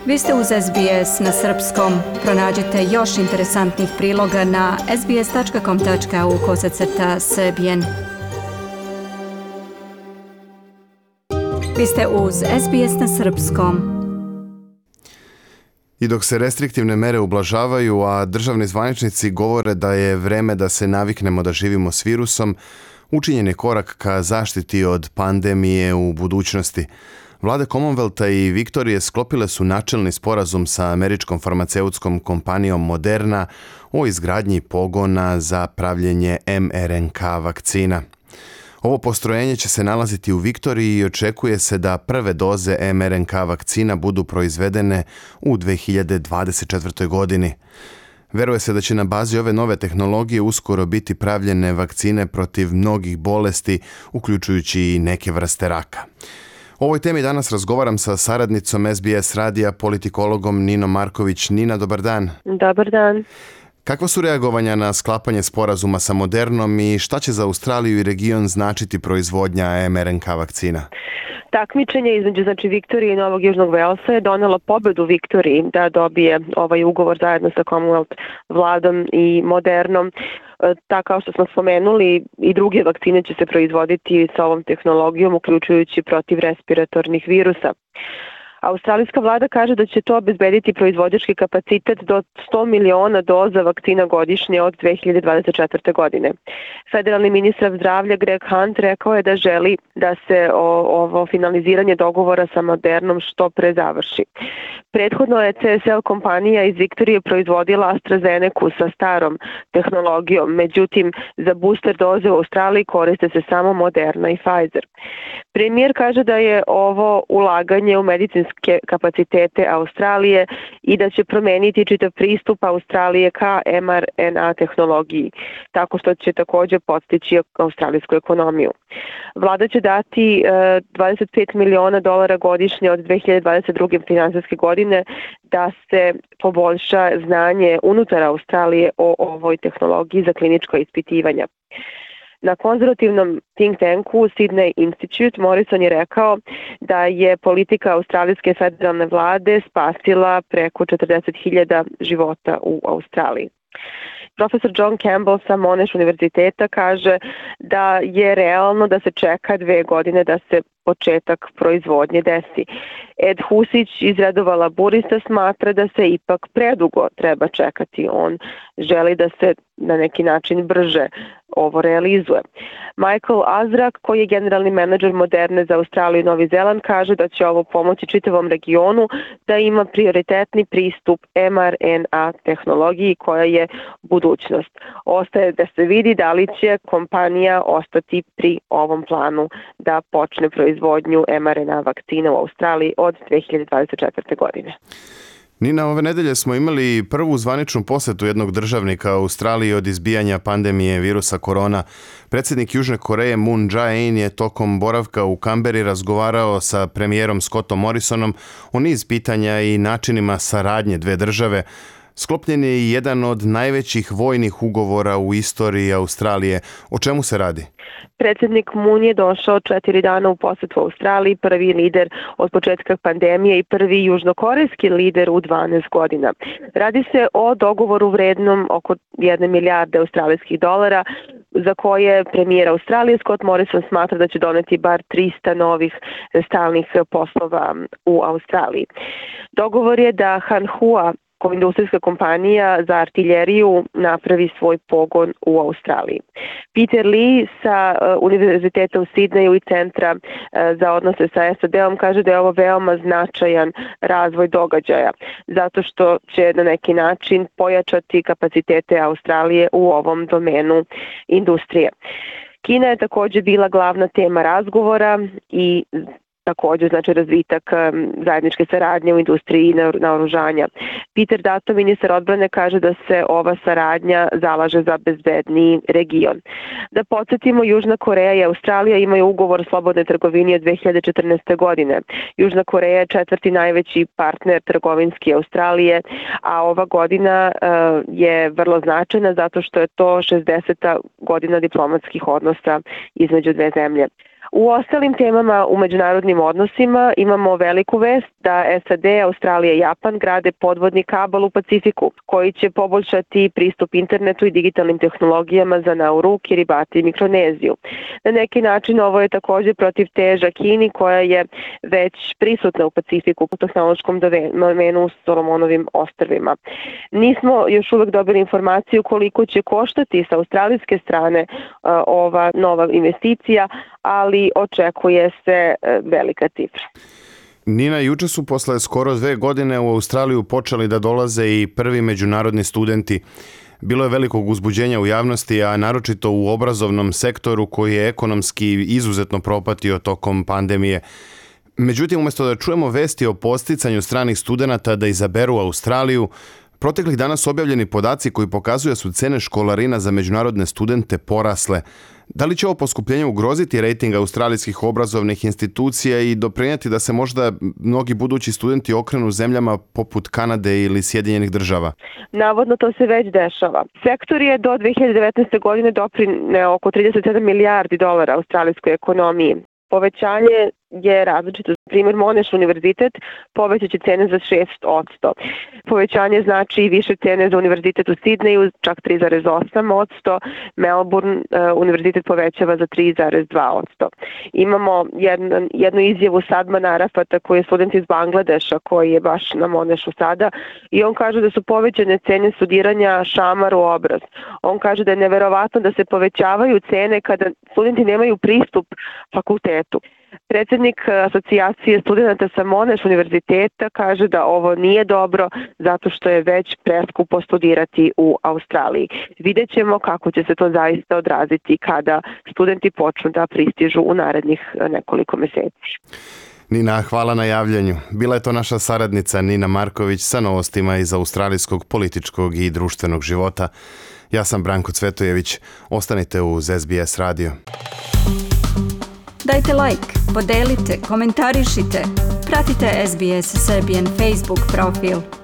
Vi ste uz SBS na srpskom. Pronađite još interesantnih priloga na sbs.com.au/srbijen. Vi ste uz SBS na srpskom. I dok se restriktivne mere ublažavaju, a državni zvaničnici govore da je vreme da se naviknemo da živimo s virusom, učinjen je korak ka zaštiti od pandemije u budućnosti. Vlade Commonwealtha i Viktorije sklopile su načelni sporazum sa američkom farmaceutskom kompanijom Moderna o izgradnji pogona za pravljenje mRNK vakcina. Ovo postrojenje će se nalaziti u Viktoriji i očekuje se da prve doze mRNK vakcina budu proizvedene u 2024. godini. Veruje se da će na bazi ove nove tehnologije uskoro biti pravljene vakcine protiv mnogih bolesti, uključujući i neke vrste raka. O ovoj temi danas razgovaram sa saradnicom SBS radija, politikologom Ninom Marković. Nina, dobar dan. Dobar dan. Kakva su reagovanja na sklapanje sporazuma sa Modernom i šta će za Australiju i region značiti proizvodnja mRNK vakcina? Takmičenje između Viktorije i Novog Južnog Velsa je donelo pobedu Viktoriji da dobije ovaj ugovor zajedno sa Commonwealth vladom i Modernom. Tako kao što smo spomenuli, i druge vakcine će se proizvoditi sa ovom tehnologijom, uključujući protiv respiratornih virusa. Australijska vlada kaže da će to obezbediti proizvođački kapacitet do 100 miliona doza vakcina godišnje od 2024. godine. Federalni ministar zdravlja Greg Hunt rekao je da želi da se ovo finaliziranje dogovora sa Modernom što pre završi. Prethodno je CSL kompanija iz Viktorije proizvodila AstraZenecu sa starom tehnologijom, međutim za booster doze u Australiji koriste se samo Moderna i Pfizer. Premijer kaže da je ovo ulaganje u medicinske kapacitete Australije i da će promeniti čitav pristup Australije ka mRNA tehnologiji, tako što će također podstići australijsku ekonomiju. Vlada će dati $25 miliona godišnje od 2022. finansijske godine da se poboljša znanje unutar Australije o ovoj tehnologiji za kliničko ispitivanja. Na konzervativnom think tanku Sydney Institute Morrison je rekao da je politika australijske federalne vlade spasila preko 40.000 života u Australiji. Profesor John Campbell sa Monash univerziteta kaže da je realno da se čeka 2 godine da se početak proizvodnje desi. Ed Husić iz redova laburista smatra da se ipak predugo treba čekati. On želi da se na neki način brže ovo realizuje. Michael Azrak, koji je generalni menadžer Moderne za Australiju i Novi Zeland, kaže da će ovo pomoći čitavom regionu da ima prioritetni pristup mRNA tehnologiji koja je budućnost. Ostaje da se vidi da li će kompanija ostati pri ovom planu da počne proizvodnju mRNA vakcina u Australiji od 2024. godine. Nina, ove nedelje smo imali prvu zvaničnu posetu jednog državnika Australiji od izbijanja pandemije virusa korona. Predsjednik Južne Koreje Moon Jae-in je tokom boravka u Kamberi razgovarao sa premijerom Scottom Morrisonom o niz pitanja i načinima saradnje dve države. Sklopljen je i jedan od najvećih vojnih ugovora u istoriji Australije. O čemu se radi? Predsjednik Moon je došao 4 dana u posetu u Australiji, prvi lider od početka pandemije i prvi južnokorejski lider u 12 godina. Radi se o dogovoru vrednom oko 1 milijarde australijskih dolara, za koje premijer Australije Scott Morrison smatra da će doneti bar 300 novih stalnih poslova u Australiji. Dogovor je da Hanwha, industrijska kompanija za artiljeriju, napravi svoj pogon u Australiji. Peter Lee sa Univerziteta u Sidneju i Centra za odnose sa SAD-om kaže da je ovo veoma značajan razvoj događaja, zato što će na neki način pojačati kapacitete Australije u ovom domenu industrije. Kina je također bila glavna tema razgovora i također razvitak zajedničke saradnje u industriji naoružanja. Peter Dutton, ministar odbrane, kaže da se ova saradnja zalaže za bezbedniji region. Da podsjetimo, Južna Koreja i Australija imaju ugovor o slobodnoj trgovini od 2014. godine. Južna Koreja je 4. najveći partner trgovinski Australije, a ova godina je vrlo značajna zato što je to 60. godina diplomatskih odnosa između dve zemlje. U ostalim temama u međunarodnim odnosima imamo veliku vest da SAD, Australija i Japan grade podvodni kabal u Pacifiku koji će poboljšati pristup internetu i digitalnim tehnologijama za Nauru, Kiribati i Mikroneziju. Na neki način ovo je također protiv teža Kini koja je već prisutna u Pacifiku u tehnološkom domenu u Solomonovim ostrvima. Nismo još uvek dobili informaciju koliko će koštati sa australijske strane ova nova investicija, ali očekuje se velika cifra. Nina, juče su posle skoro 2 godine u Australiju počeli da dolaze i prvi međunarodni studenti. Bilo je velikog uzbuđenja u javnosti, a naročito u obrazovnom sektoru koji je ekonomski izuzetno propatio tokom pandemije. Međutim, umjesto da čujemo vesti o podsticanju stranih studenata da izaberu Australiju, proteklih dana su objavljeni podaci koji pokazuju da su cene školarina za međunarodne studente porasle. Da li će ovo poskupljenje ugroziti rejting australijskih obrazovnih institucija i doprinijeti da se možda mnogi budući studenti okrenu zemljama poput Kanade ili Sjedinjenih Država? Navodno to se već dešava. Sektor je do 2019. godine doprineo oko 37 milijardi dolara australijskoj ekonomiji. Povećanje je različito. Primjer, Monash univerzitet povećaće cene za 6%. Povećanje znači i više cene za univerzitet u Sidneju, čak 3,8%. Melbourne univerzitet povećava za 3,2%. Imamo jednu izjavu Sadmana Arafata koji je student iz Bangladeša koji je baš na Monashu sada i on kaže da su povećane cene studiranja šamar u obraz. On kaže da je neverovatno da se povećavaju cene kada studenti nemaju pristup fakultetu. Predsjednik asocijacije studenta sa Monash univerziteta kaže da ovo nije dobro zato što je već preskupo studirati u Australiji. Vidjet ćemo kako će se to zaista odraziti kada studenti počnu da pristižu u narednih nekoliko mjeseci. Nina, hvala na javljanju. Bila je to naša saradnica Nina Marković sa novostima iz australijskog političkog i društvenog života. Ja sam Branko Cvetojević. Ostanite uz SBS radio. Dajte like, podelite, komentarišite. Pratite SBS Serbian Facebook profil.